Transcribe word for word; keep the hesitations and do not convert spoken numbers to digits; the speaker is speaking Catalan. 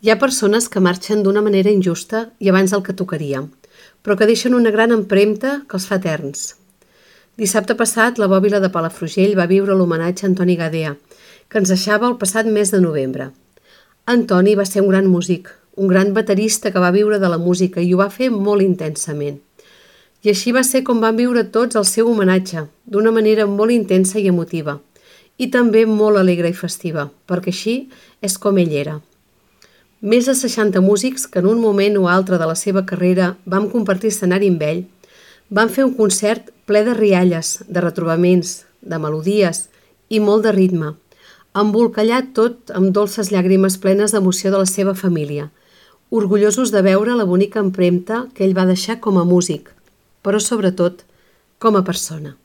Hi ha persones que marxen d'una manera injusta i abans del que tocaria, però que deixen una gran empremta que els fa eterns. Dissabte passat, la bòbila de Palafrugell va viure l'homenatge a Antoni Gadea, que ens deixava el passat mes de novembre. Antoni va ser un gran músic, un gran baterista que va viure de la música i ho va fer molt intensament. I així va ser com van viure tots el seu homenatge, d'una manera molt intensa i emotiva, i també molt alegre i festiva, perquè així és com ell era. Més de seixanta músics que en un moment o altre de la seva carrera vam compartir escenari amb ell, van fer un concert ple de rialles, de retrobaments, de melodies i molt de ritme, embolcallat tot amb dolces llàgrimes plenes d'emoció de la seva família, orgullosos de veure la bonica empremta que ell va deixar com a músic, però sobretot com a persona.